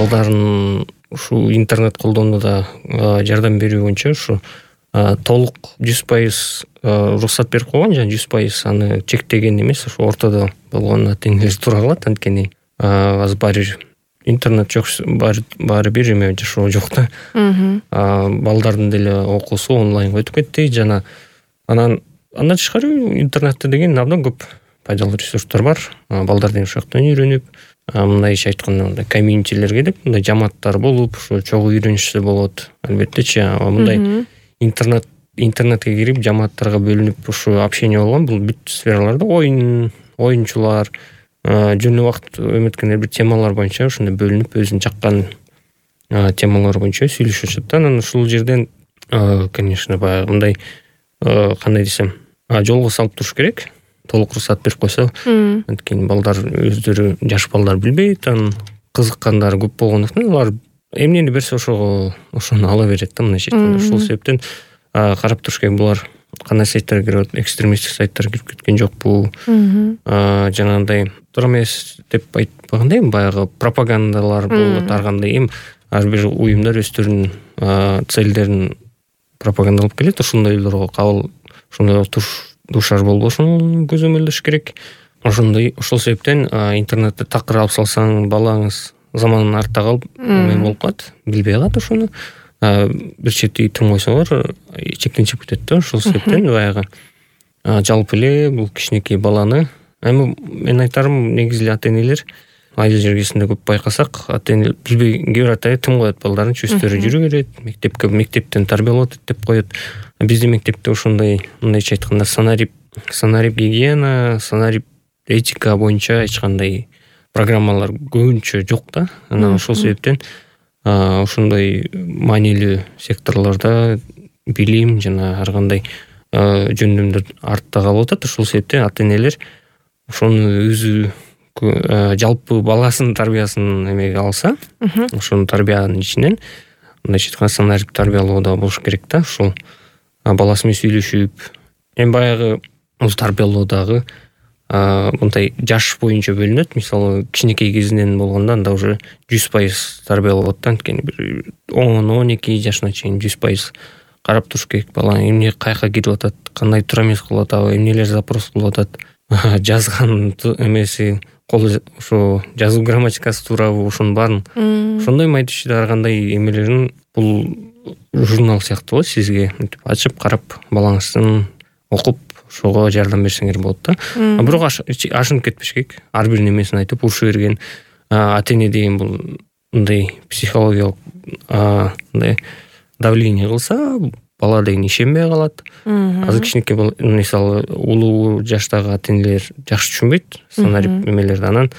балдарын ушул интернет колдонууда жардам берүү боюнча ушу толук 100% уруксат берип койгон, жана 100% аны чектеген эмес, ушу ортодо болгон ата-энелер туура калат. Анткени азыр баары интернет жок, баары бир эме жашоо жок да. Балдардын деле окуусу онлайнга өтүп кетти, жана андан тышкары интернетте деген абдан көп пайдалуу ресурстар бар. Балдар деген ошол жактан үйрөнүп, мындайча айтканда мындай комьюнитилер келип, мындай жамааттар болуп, ошо чогуу үйрөнүшсө болот. Албеттечи, мындай интернетке кирип жамааттарга бөлүнүп ушу общение болгон, бул бүт сфераларда оюнчулар, жөн убакыт өмөткөн бир темалар боюнча ошондой бөлүнүп өзүнүн жаккан темалар боюнча сүйлөшүшөт. Анан ушул жерден конечно баягы мындай кандай десем, жолго салып туруш керек. Толук уруксат берип койсо, анткени балдар өздөрү, жаш балдар билбейт, анан кызыккандары көп болгондуктан алар эмнени берсе ошону ала берет да, мындайча айтканда. Ушул себептен карап туруш керек, булар кандай сайттарга кирип, экстремисттик сайттарга кирип кеткен жокпу, жанагындай туура эмес деп айтпагандай, баягы пропагандалар болот ар кандай, ар бир уюмдар өздөрүнүн целдерин пропагандалап келет. Ошондойлорго кабыл, ошондойго дуушар болбошун көзөмөлдөш керек. Ошол себептен интернетте такыр алып салсаң, балаңыз замандан артта калып эме болуп калат, билбей калат ошону. Бир чети тым койсоңор чектенчип кетет да. Ошол себептен баягы жалпы эле бул кичинекей баланы, мен айтарым, негизи эле ата-энелер айыл жергесинде көп байкасак, ата-энелер билбей, кээ бир ата-эне тым коет балдарын, өздөрү жүрө берет, мектептен тарбиялап атат деп коет. Биздин мектепте ошондой, мындайча айтканда, санарип гигиена, санарип этика боюнча эч кандай программалар көбүнчө жок да. Анан ошол себептен ошондой маанилүү секторлордо билим жана ар кандай жөндөмдөр артта калып атат. Ошол себептен ата-энелер ошону өзү жалпы баласынын тарбиясын эмеге алса, ошонун тарбиянын ичинен мындайча айтканда санарип тарбиялоодо болуш керек да. Ушул баласы менен сүйлөшүп, баягы тарбиялоодагы мындай жаш боюнча бөлүнөт. Мисалы, кичинекей кезинен болгондо анда уже 100% тарбиялап атат. Анткени бир 10-12 жашына чейин 100% карап туруш керек. Бала эмне каяка кирип атат, кандай туура эмес кылып атабы, эмнелер запрос кылып атат, жазган эмеси, ошо жазуу грамматикасы туурабы, ошонун баарын, ошондой май түшүдө ар кандай эмелерин, бул журнал сыяктуу сизге ачып карап балаңыздын окуп ошого жардам берсеңер болот да. Бирок ашынып кетпеш керек. Ар бир немесин айтып уруша берген ата-эне деген бул мындай психологиялык мындай давление кылса, бала деген ишенбей калат. Азыр кичинекей мисалы улуу жаштагы ата-энелер жакшы түшүнбөйт санарип эмелерди. Анан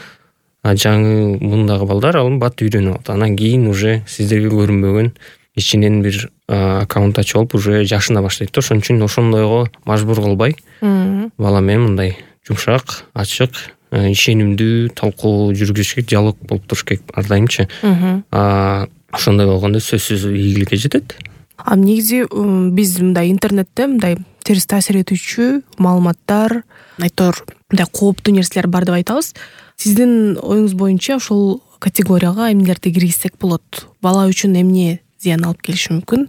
жаңы мундагы балдар ал бат үйрөнүп алат. Анан кийин уже сиздерге көрүнбөгөн ичинен бир аккаунт ачып алып уже жашына баштайт да. Ошон үчүн ошондойго мажбур кылбай, бала менен мындай жумшак, ачык, ишенимдүү талкуу жүргүзүш керек, диалог болуп туруш керек ар дайымчы. Ошондой болгондо сөзсүз ийгиликке жетет. Негизи биз мындай интернетте мындай терс таасир этүүчү маалыматтар, айтор мындай кооптуу нерселер бар деп айтабыз. Сиздин оюңуз боюнча ошол категорияга эмнелерди киргизсек болот? Бала үчүн эмне зыян алып келиши мүмкүн?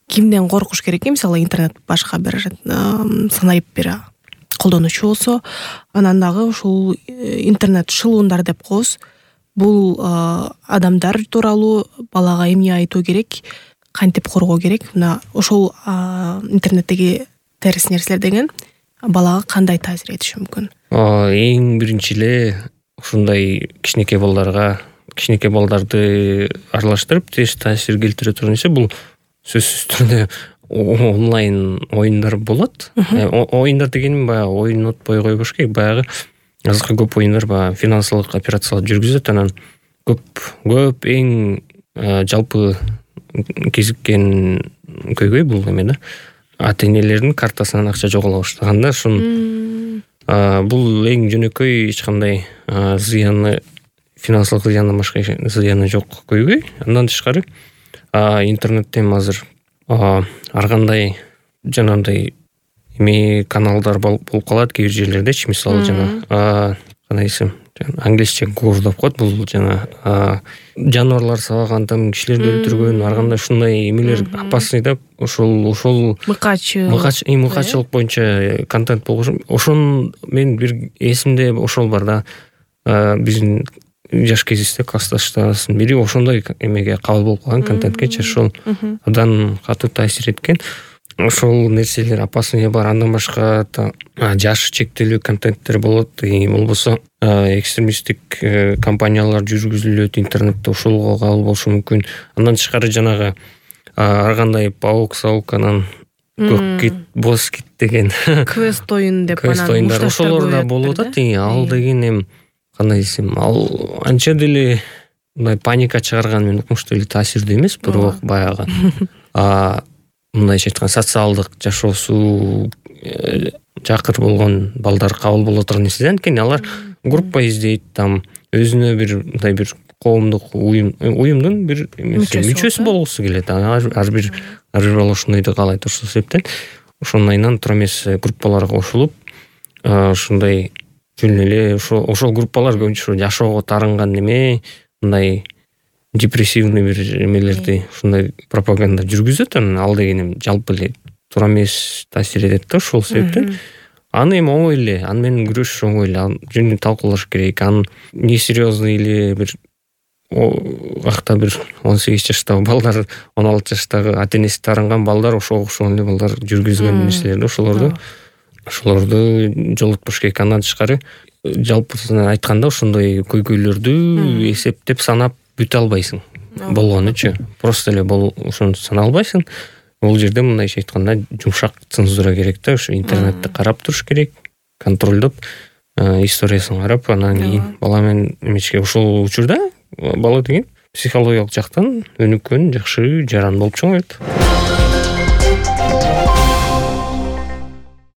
Кимден коркуш керек? Мисалы, интернет башка бир санарип бир колдонуучу болсо, анан дагы ушул интернет шылуундар деп коебуз. Бул адамдар тууралуу балага эмне айтуу керек, кантип коргоо керек? Мына ошол интернеттеги терс нерселер деген балага кандай таасир этиши мүмкүн? Эң биринчи эле ушундай кичинекей балдарды аралаштырып терс таасир келтире турган нерсе, бул сөзсүз түрдө онлайн оюндар болот. Оюндар дегеним баягы ойнотпой койбош керек. Баягы азыркы көп оюндар баягы финансылык операциялар жүргүзөт. Анан көп эң жалпы кезиккен көйгөй бул эме да. Ата-энелердин картасынан акча жоголо баштаганда, бул эң жөнөкөй, эч кандай зыяны, финансылык зыяндан башка зыяны жок көйгөй. Андан тышкары интернеттен азыр ар кандай жанагындай эме каналдар болуп калат кээ бир жерлердечи. Мисалы жана кандай десем, англисче gore деп коет, бул жана жаныбарлар сабаган, кишилерди өлтүргөн, ар кандай ушундай эмелер опасный да. Ошол мыкачылык боюнча контент болгон. Ошон мен бир эсимде ошол бар да. Биздин жаш кезибизде классташтарыбыздын бири ошондой эмеге кабыл болуп калган, контентке ошол абдан катуу таасир эткен. Ошол нерселер опасный бар. Андан башка жашы чектелүү контенттер болот, болбосо экстремисттик компаниялар жүргүзүлөт интернетте, ошолго кабыл болушу мүмкүн. Андан тышкары жанагы ар кандай паук-сауканан көк кит, боз кит деген квест оюн деп анан ошолор да болуп атат. Ал деген эми кандай десем, ал анча деле мындай паника чыгарган мен укмуштуу эле таасирдүү эмес, бирок баягы мындайча айтканда социалдык жашоосу жакыр болгон балдар кабыл боло турган нерсе. Анткени алар группа издейт, там өзүнө бир мындай бир коомдук уюмдун бир мүчөсү болгусу келет. Ар бир бала ошондойду каалайт. Ошол себептен ошондайынан тура эмес группаларга кошулуп, ушундай жөн эле ошол группалар көбүнчө жашоого тарынган неме, мындай депрессивный бир эмелерди ушундай пропаганда жүргүзөт. Ал деген эми жалпы эле туура эмес таасир этет да. Ошол себептен аны эми оңой эле, аны менен күрөшүш оңой эле, жөнүндө талкуулаш керек. Аны несерьезный эле бир акта бир 18 жаштагы балдар, 16 жаштагы ата-энеси тарынган балдар, ошого окшогон эле балдар жүргүзгөн нерселерди. Ошолорду жолотпош керек. Андан тышкары жалпысынан айтканда ошондой көйгөйлөрдү эсептеп санап бүтө албайсың. Болгонучу просто эле ошону санай албайсың. Бул жерде мындайча айтканда жумшак цензура керек да. Ошо интернетти карап туруш керек, контролдоп, историясын карап, анан кийин бала менен эмечке. Ошол учурда бала деген психологиялык жактан өнүккөн, жакшы жаран болуп чоңойот.